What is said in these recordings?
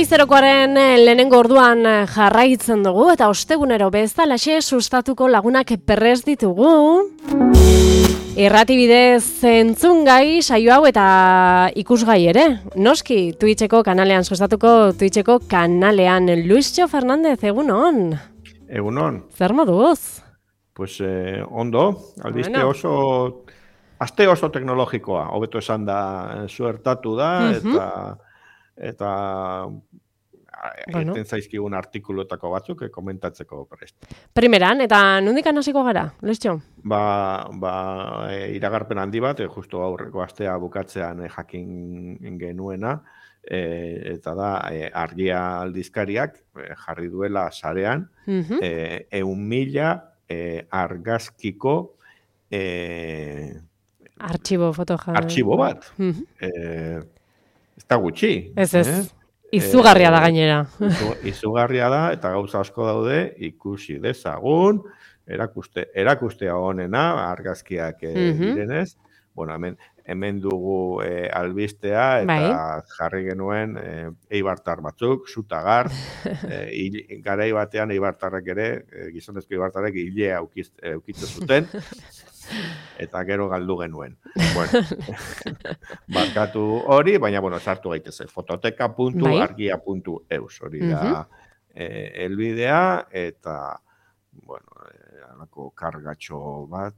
Goizerokoaren lehenengo orduan jarraitzen dugu eta ostegunero bezalaxe sustatuko lagunak perrez ditugu. Irrati bidez entzungai saio hau eta ikusgai ere. Noski, Twitcheko kanalean sustatuko Twitcheko kanalean. Luisjo Fernandez, egunon. Egunon. Zer moduz? Pues ondo, albiste aste oso teknologikoa, hobeto esan da, suertatu da, eta eten zaizkigun artikuluetako batzuk komentatzeko prest. Primeran, eta nondikan hasiko gara, Luisjo? Iragarpen handi bat, justu aurreko astea bukatzean jakin genuena, eta da, argia aldizkariak jarri duela sarean, 100.000 argazkiko artxibo bat. Ez da gutxi. Ez. Izugarria da gainera. Izugarria da, eta gauza asko daude, ikusi dezagun, erakustea honena, argazkiak direnez. Bueno, hemen dugu albistea, eta jarri genuen eibartar batzuk, zutagar, garai batean eibartarrek ere, gizonezko eibartarrek hilea eukitzen zuten, eta gero galdu genuen. Bueno, barkatu hori, baina, sartu gaitezen, fototeka.argia.eus, hori da elbidea, eta, alako kargatxo bat,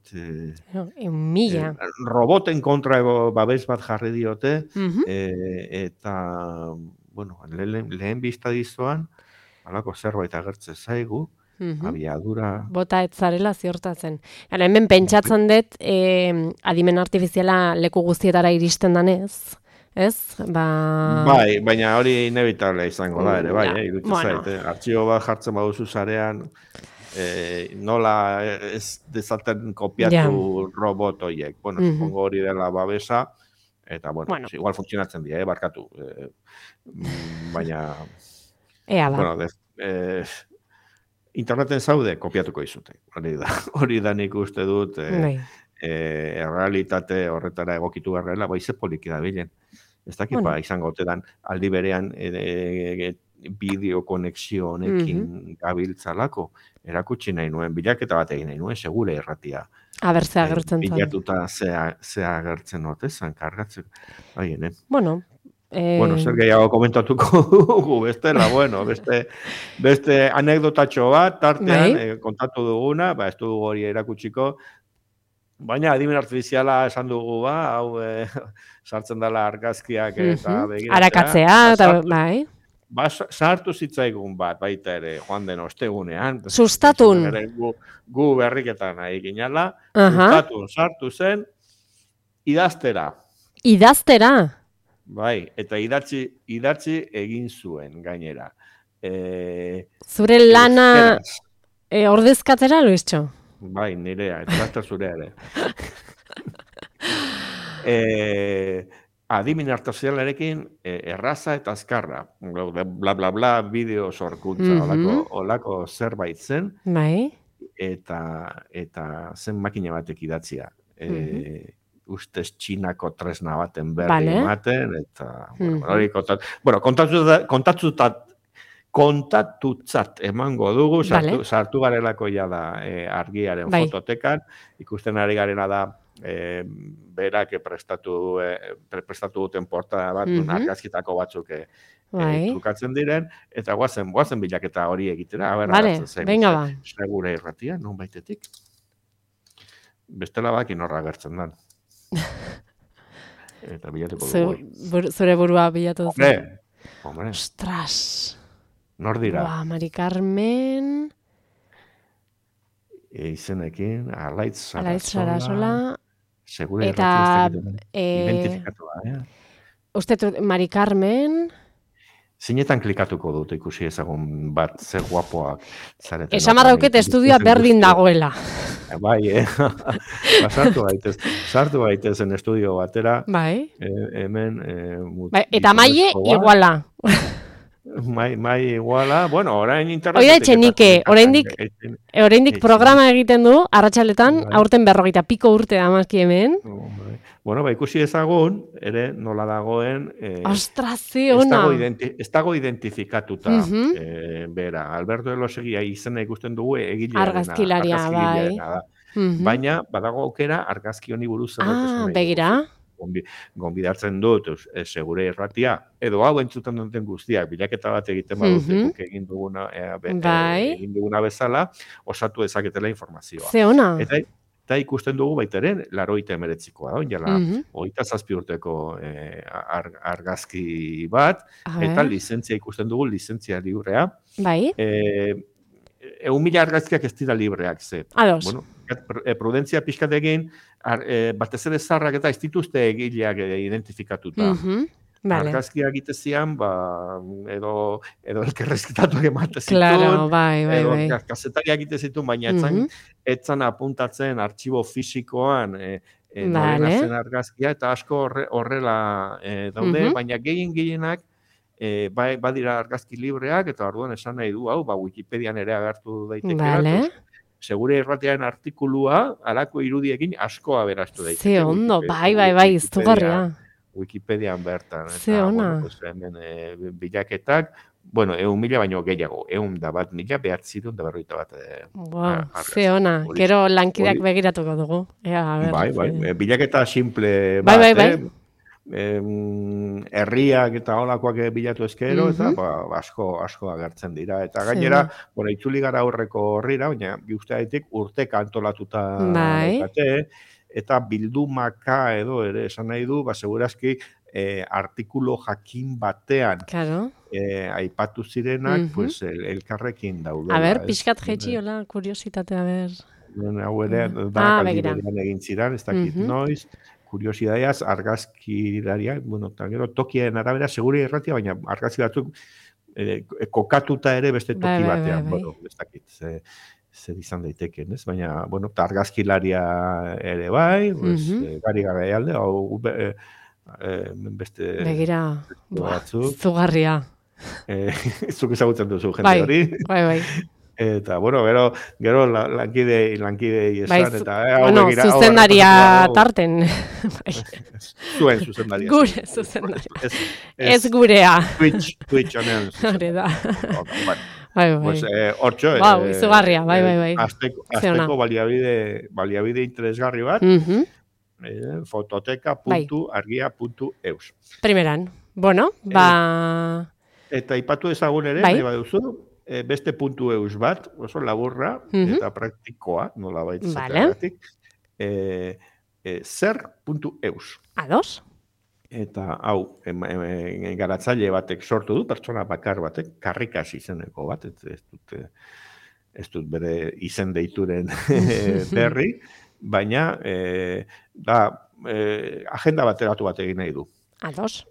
roboten kontra babes bat jarri diote, eta, lehen biztadizoan, alako zerbait agertzen zaigu, abiadura... Bota ez zarela ziortatzen. Hemen pentsatzen dut, adimen artifiziala leku guztietara iristen danez, ez? Bai, baina hori inevitable izango da ere, bai, iruditzen zait. Artxibo bat jartzen baduzu zarean, nola ez dezaten kopiatu robot horiek. Supongo hori dela babesa, eta, igual funtzionatzen dira, barkatu. Baina... Interneten zaude, kopiatuko izute. Hori da nik uste dut, errealitate horretara egokitu garrela, ze poliki da bilen. Ez dakit, izango otedan, aldi berean bideo-konexio honekin gabiltzalako, erakutsi nahi nuen, bilaketa bat egin nahi nuen, segure erratia. Aber, ze agertzen zan. Bilatuta ze agertzen otezan, kargatzeko. Bueno, zer gehiago komentatuko dugu, bestela, beste anekdotatxo bat, tartean, kontatu duguna, ez dugu hori erakutsiko, baina adimen artifiziala esan dugu, hau sartzen dela argazkiak eta begiratzea. Arakatzea, eta bai. Sartu zitzaigun bat, baita ere, joan den ostegunean. Sustatun. Gu berriketan nahi ginala, sartu zen, idaztera. Idaztera? Bai, eta idatzi egin zuen gainera. Zure lana ordezkatzera, Luisjo? Bai, nirea, eta laster zurea ere. Adimen artifizialarekin erraza eta azkarra. Bla, bla, bla, bideo sorkuntza, olako zerbait zen. Bai. Eta zen makina batek idatzia. Ustez txinako tresna baten berri ematen, eta, kontatutzat emango dugu, sartu garelako ja da argiaren fototekan, ikusten ari garena da, berak prestatu duten portada bat, argazkitako batzuk trukatzen diren, eta guazen bilaketa hori egitera, segure irratia, non baitetik. Bestela baki norra agertzen dan. Eta bilatuko dugu. Zure burua bilatu duzu. Hombre. Ostras. Nor dira? Mari Carmen. Izenekin, Alaitz Sarasola. Segure eta identifikatua. Uste Mari Carmen. Zinetan klikatuko dut ikusi ezagun bat, ze guapoak zareten. Esamarra auket estudioa berdin dagoela. Bai, sartu gaitezen estudio batera. Bai. Hemen... Eta maile iguala. Mai iguala, orain internet... Oida etxenike, oraindik programa egiten du, arratsaletan, aurten 40 piko urte amazki hemen. Bueno, ikusi ezagun, ere nola dagoen... Ostras, ona! Ez dago identifikatuta, bera. Alberto Elosegui izena ikusten dugu egilearena, argazkigilearena da. Baina, badago aukera argazki honi buruz zerbait esan nahi begira. Gonbidatzen dut, segure irratia, edo hau entzuten duten guztiak, bilaketa bat egiten badute, guk egin duguna bezala, osatu dezaketela informazioa. Ze ona! Eta ikusten dugu baitaren, 89koa da, jala, 27 urteko argazki bat, eta lizentzia ikusten dugu, lizentzia librea. Bai. 1.000 argazkiak ez dira libreak, ze. Ados. Bueno, prudentzia pixkat egin, batez ere zarrak eta ez dituzte egileak identifikatuta. Argazkiak egitezian, edo elkerrezketatuak ematezitun, claro, bai. edo kazetariak egitezitun, baina etzan apuntatzen artxibo fisikoan norena zen argazkia, eta asko horrela daude, baina gehienak badira argazki libreak, eta orduan esan nahi du, Wikipedian ere agertu daiteke. Segure irratiaren artikulua, alako irudiekin asko aberastu daiteke. Ze ondo, bai, iztugarria. Wikipedian bertan. Ze ona. Hemen bilaketak, 1.000 baino gehiago, 101.941. Ze ona, gero lankideak begiratuko dugu. Bai, bilaketa simple bat, herriak eta holakoak bilatu ezkero, eta asko agertzen dira. Eta gainera, itzuli gara aurreko horrira, baina guztiatik urteka antolatuta daukate, eta bildumaka edo ere esan nahi du, segurazki artikulo jakin batean aipatu zirenak, elkarrekin daudela. A ber, pixkat jetxi, hola, kuriositatea, ber. Hau ere, da kaldidean egin ziren, ez dakit noiz, kuriosidaiaz, argazkilariak, eta gero tokien arabera, segure irratia, baina argazki batzuk kokatuta ere beste toki batean, ez dakit, zer izan daiteken, ez? Baina, eta argazkilaria ere bai, gari garaialde, beste... Begira, zugarria. Zuk ezagutzen duzu jende hori. Bai. Eta, gero lankidei esan, eta... zuzendaria tarten. Zuen zuzendaria. Gure zuzendaria. Ez gurea. Twitch honen. Hore da. Bai. Hortxo, izugarria, bai. Azteko baliabide interesgarri bat, fototeka.argia.eus. Primeran. Eta ipatu ezagun ere, nahi baduzu, beste .eus bat, oso laburra, eta praktikoa, nola baitzatik, zer.eus. Ados. Eta hau, garatzaile batek sortu du, pertsona bakar batek, karrikas izeneko bat, ez dut bere izen deituren berri, baina agenda bateratu bat egin nahi du. Ados.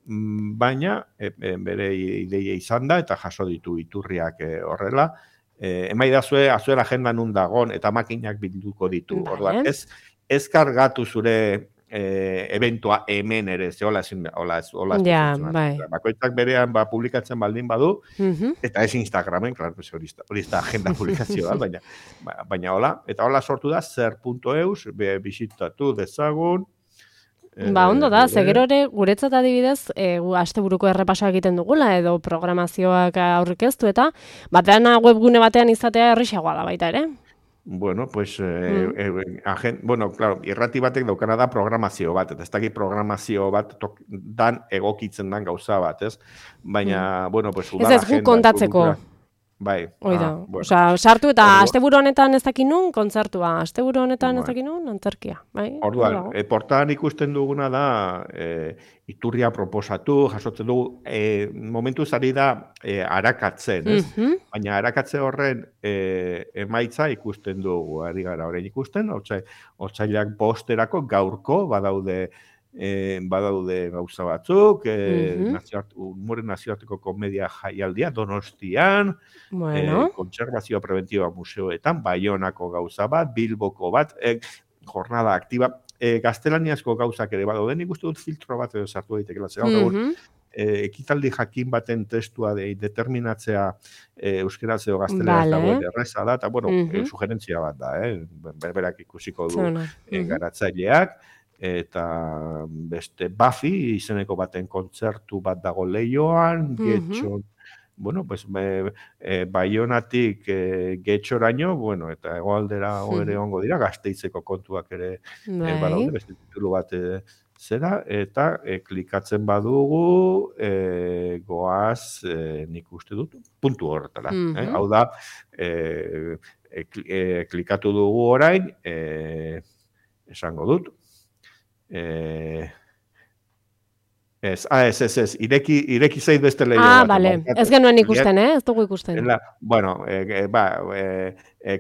Baina, bere ideia izan da, eta jaso ditu iturriak horrela, emaidazue, azuera agenda nun dagon, eta makinak bilduko ditu. Orduan, ez kargatu zure eventua hemen ere, ze hola bakoitzak berean publikatzen baldin badu, eta ez Instagramen, hori da agenda publikazioa, baina hola, eta hola sortu da, zer.eus, bisitatu dezagun. Ondo da, zegero ere, guretzat adibidez, asteburuko errepasoa egiten dugula, edo programazioak aurrekeztu, eta batean webgune batean izatea errixagoa da baita ere. Bueno, pues, claro, irrati batek daukana da programazio bat, eta ez dakit programazio bat dan egokitzen dan gauza bat, ez? Baina, pues, udala agenda. Ez guk kontatzeko. Bai. Oida, sartu eta asteburu honetan ez dakin nun, kontzertua, asteburu honetan ez dakin nun, antzerkia. Orduan, portaan ikusten duguna da, iturria proposatu, jasotzen dugu, momentu zari da arakatzen, ez? Baina arakatze horren emaitza ikusten dugu, ari gara horrein ikusten, otsailak bosterako gaurko badaude gauza batzuk, Umoren nazioarteko komedia jaialdia Donostian, kontserbazioa preventiba museoetan, Baionako gauza bat, Bilboko bat, jornada aktiba, gaztelaniazko gauzak ere badaude, nik uste dut filtro bat edo sartu daitekela, ekitaldi jakin baten testua determinatzea euskeraz edo gazteleraz dagoen erreza da, eta sugerentzia bat da, berberak ikusiko du garatzaileak, eta beste Buffy izeneko baten kontzertu bat dago Leioan, Getxon, bueno, pues Baionatik Getxoraino, bueno, eta hegoaldera ere ongo dira, Gasteizeko kontuak ere badaude, beste titulu bat zera, eta klikatzen badugu goaz, nik uste dut, puntu horretara. Hau da, klikatu dugu orain, esango dut, ez, ireki zait beste lehio bat. Bale, ez genuen ikusten, ez dugu ikusten. Bueno,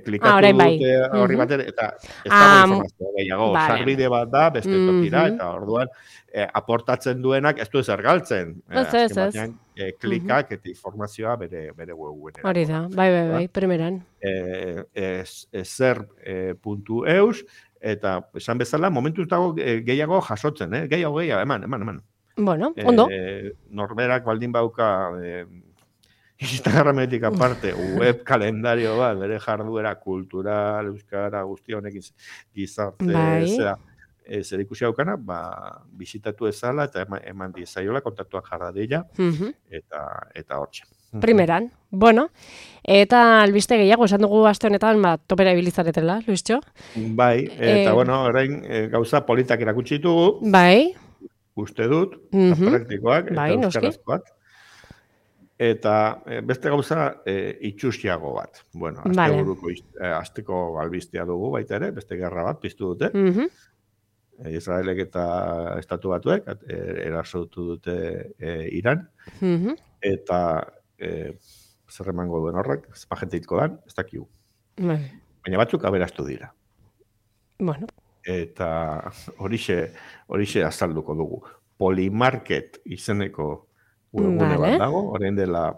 klikatu dute horri baten, eta ez dago informazio gehiago, sarbide bat da, beste tokira, eta orduan, aportatzen duenak ez du ezer galtzen. Ez. Klikak eta informazioa bere webgunean. Hori da, bai, primeran. Zer.eus, eta esan bezala, momentuz dago gehiago jasotzen, gehiago, eman. Bueno, ondo. Norberak baldin bauka Instagrametik aparte web kalendario bat, bere jarduera kultural, euskara, guzti honekin gizarte, zer ikusi haukana, bisitatu ezala eta eman dizaiola, kontaktuak jarra dira, eta hortxe. Primeran, bueno, eta albiste gehiago, esan dugu aste honetan, topera ibilizaretela, Luistxo? Bai, eta bueno, orain gauza politak erakutsi ditugu. Bai. Uste dut, praktikoak, eta euskarazkoak. Eta beste gauza itxusiago bat. Bueno, asteko albistea dugu baita ere, beste gerra bat piztu dute. Israelek eta Estatu Batuek erasotu dute Iran. Eta zer emango duen horrek, espagenteitko dan, ez dakigu. Baina batzuk aberastu dira. Bueno. Eta horixe azalduko dugu. Polymarket izeneko webgune bat dago, orain dela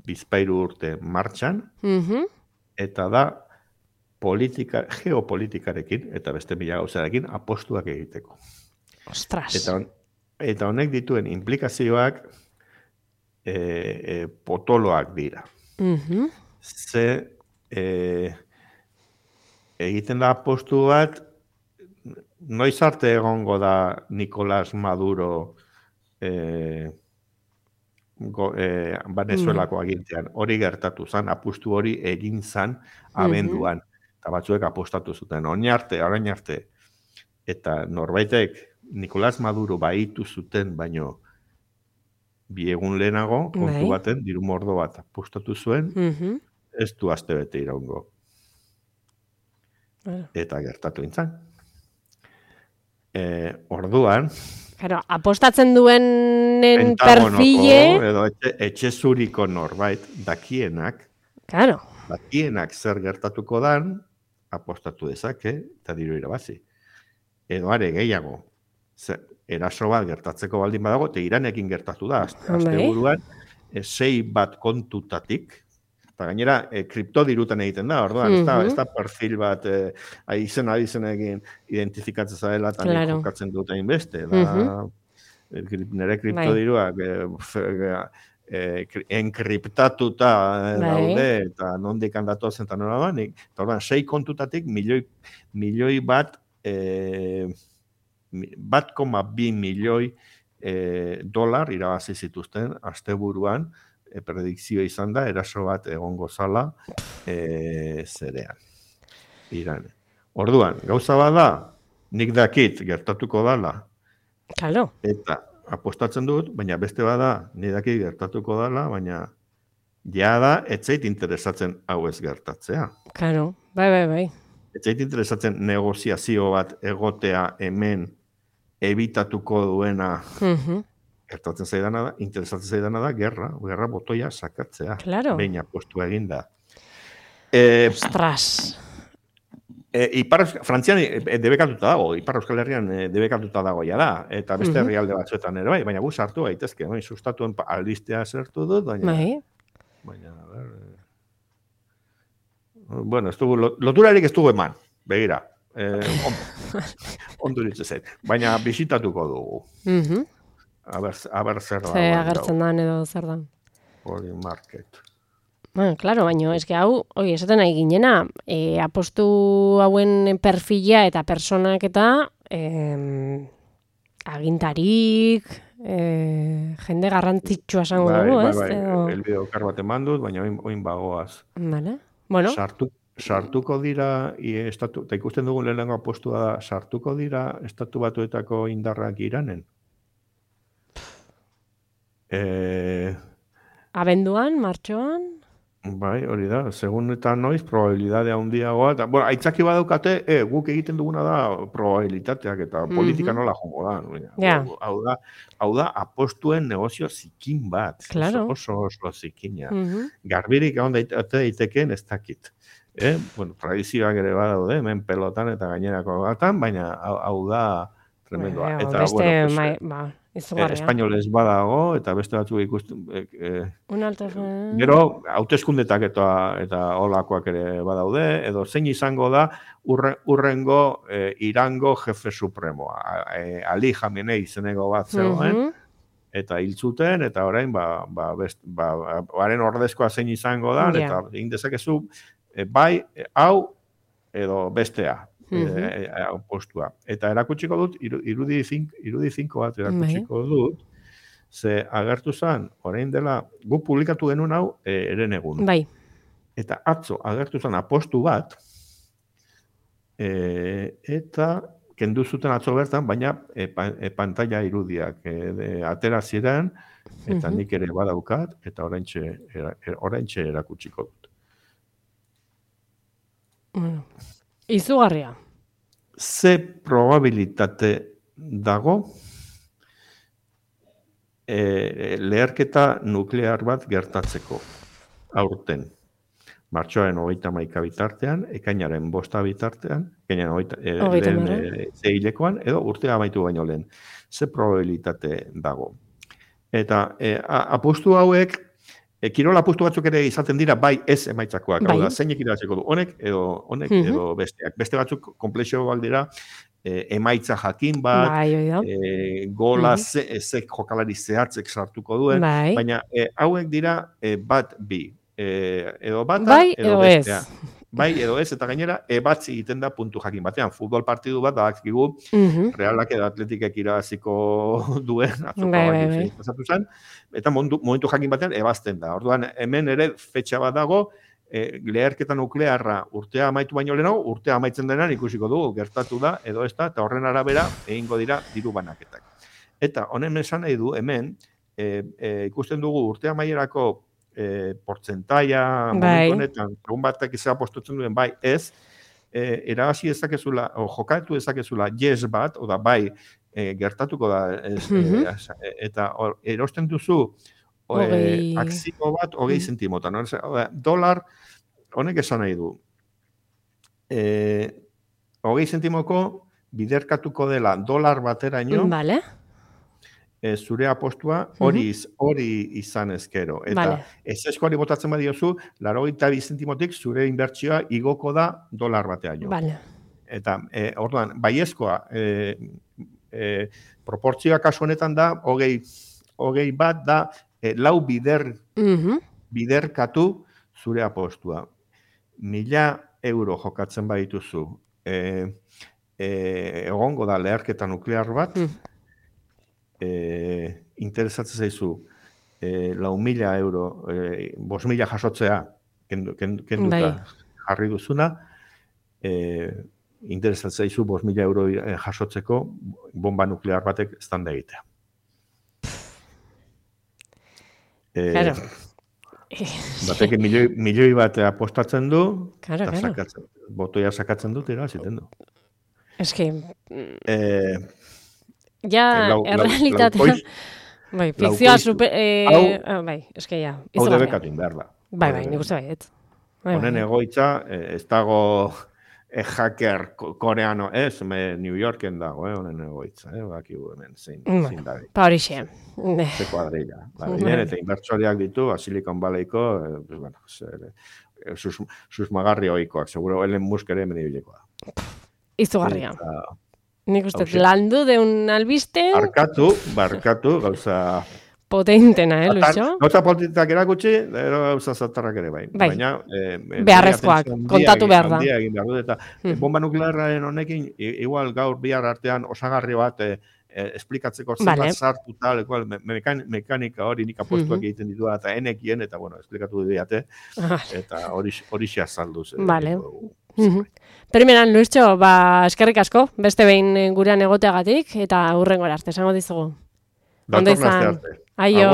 bizpahiru urte martxan, eta da geopolitikarekin, eta beste mila gauzarekin, apostuak egiteko. Ostras! Eta honek dituen implikazioak potoloak dira. Ze egiten da apostu bat, noiz arte egongo da Nicolás Maduro Venezuelako agintean. Hori gertatu zen, apustu hori egin zen abenduan. Eta batzuek apostatu zuten, orain arte. Eta norbaitek Nicolás Maduro baitu zuten, baino bi egun lehenago, kontu baten, diru mordo bat apostatu zuen, ez du aste bete iraungo. Eta gertatu intzan. Orduan... apostatzen duenen perfile... Edo etxezuriko norbait dakienak zer gertatuko dan, apostatu dezake, eta diru irabazi. Edo are gehiago, eraso bat gertatzeko baldin badago, eta Iranekin gertatu da, azte buruan, 6 bat kontutatik, eta gainera, kriptodirutan egiten da, orduan, ez da perfil bat izenekin identifikatzen zaela, eta nik jokatzen dut egin beste. Nire kriptodiruak enkriptatuta daude, eta nondik handatu zen, eta nola banik. Eta orduan, 6 kontutatik milioi bat, 1,2 milioi dolar irabazi zituzten asteburuan, predikzio izan da, eraso bat egongo zala zerean. Iran. Orduan, gauza bada, nik dakit gertatuko dala. Claro. Eta apostatzen dut, baina beste bada, nik dakit gertatuko dala, baina jada etzait interesatzen hau ez gertatzea. Claro, bai. Etzait interesatzen negoziazio bat egotea hemen ebitatuko duena interesatzen zaidana da, gerra botoia sakatzea. Claro. Behin apostu egin da. Ostras. Frantzian debekatuta dago, Ipar Euskal Herrian debekatuta dago ja da, eta beste herrialde batzuetan ere bai, baina gu sartu gaitezke, sustatuen albistea zertu dut, baina... a ver... Bueno, loturarik ez dugu eman, begira. Ondo ditzen zen, baina bisitatuko dugu. Aber zer da. Agertzen da, edo zer da. Polymarket. Bueno, claro, baina eske hau, esaten nahi ginena, apostu hauen perfila eta personak eta agintarik, jende garrantzitsua esango dugu, ez? Elbide okar bat eman dut, baina oin bagoaz. Vale. Bueno. Sartuko dira, eta ikusten dugun lehenengo apostua da, sartuko dira Estatu Batuetako indarrak Iranen? Abenduan, martxoan? Bai, hori da, segun eta noiz, probabilidadea handiagoa, eta, bueno, aitzaki badaukate, guk egiten duguna da probabilitateak, eta politika nola jongo da. Hau da, apostuen negozio zikin bat. Claro. Oso zikina. Garbirik egon daiteken ez dakit. Bueno, tradizioak ere badaude, hemen pelotan eta gainerako gatan, baina hau da tremendua. Eta, bueno, espainolez badago, eta beste batzuk ikusten. Gero, hauteskundetak eta olakoak ere badaude, edo zein izango da urrengo Irango jefe supremoa. Ali Khamenei izeneko bat zegoen, eta hil zuten, eta orain, haren ordezkoa zein izango da, eta egin dezakezu, bai, hau, edo bestea. Postua. Eta erakutsiko dut, irudi finko bat erakutsiko dut, ze agertu zen, orain dela, guk publikatu genuen hau eren egun. Bai. Eta atzo agertu zen apostu bat, eta kendu zuten atzo bertan, baina pantalla irudiak atera ziren, eta nik ere badaukat, eta oraintxe erakutsiko dut. Izugarria. Ze probabilitate dago leherketa nuklear bat gertatzeko aurten. Martxoaren 31 bitartean, ekainaren 5 bitartean, ekainaren 6 edo urtea amaitu baino lehen. Ze probabilitate dago. Eta apustu hauek, kirol apustu batzuk ere izaten dira bai ez emaitzakoak. Hau da, zeinek iratzeko du, honek edo besteak. Beste batzuk komplexioak dira, emaitza jakin bat, gola ezek jokalari zehatzek sartuko duen, baina hauek dira bat bi. Edo bata, edo bestea. Bai, edo ez, eta gainera, ebatzi egiten da puntu jakin batean. Futbol partidu bat, dakigu, Realak edo Atletikek irabaziko duen, atzoko zen, eta momentu jakin batean, ebazten da. Orduan, hemen ere, fetxa bat dago, leherketa nuklearra urtea amaitu baino lehenago, urtea amaitzen denan ikusiko dugu, gertatu da, edo ez da, eta horren arabera, egingo dira diru banaketak. Eta honen esan nahi du, hemen, ikusten dugu urtea amaierako portzentaia, momentu honetan, egun batek izan apostotzen duen, bai, ez, erabazi ezakezula, o jokatu ezakezula, yes bat, oda bai, gertatuko da, eta erosten duzu, akzio bat, 20 zentimotan. Dolar, honek esan nahi du, 20 zentimoko biderkatuko dela dolar bateraino, zure apostua hori izan ezkero. Eta ezeskoari botatzen badiozu, 82 zentimotik zure inbertsioa igoko da dolar bateaino. Eta, orduan, baiezkoa, proportzioa kasu honetan da, 20 bat da, 4 biderkatu zure apostua. 1.000 euro jokatzen badituzu, egongo da leherketa nuklear bat, interesatzen zaizu 4.000 euro, 5.000 jasotzea kenduta jarri duzuna, interesatzen zaizu 5.000 euro jasotzeko bomba nuklear batek eztanda egitea. Batek milioi bat apostatzen du, eta botoia sakatzen dut, ziten du. Eski, ja, errealitatea, bai, fikzioa bai, eski, ja. Hau debekatin behar da. Bai, nik uste baiet. Honen egoitza, ez dago hacker koreano, ez, New Yorken dago, honen egoitza, bakigu hemen zein dabe. Pa hori xe. Ze kuadrilla. Eta inbertsoriak ditu, Silicon Valleyko, susmagarri oikoak, seguro Elon Musk ere mendibilekoa. Izugarria. Nik uste, landu deun albiste. Barkatu, gauza potentena, Luixo? Gauza potentak erakutsi, gauza zatarrak ere bai. Baina, beharrezkoak, kontatu behar da. Eta bomba nuklearraren honekin, igual gaur bihar artean osagarri bat esplikatzeko zenbat sartu tal, mekanika hori nik apostuak egiten ditu eta enekien, eta bueno, esplikatu diate, eta hori xe azalduz. Vale. Primeran, Luixo, eskerrik asko, beste behin gurean egoteagatik, eta hurrengora arte, esango dizugu. Dator nazte arte. Aio.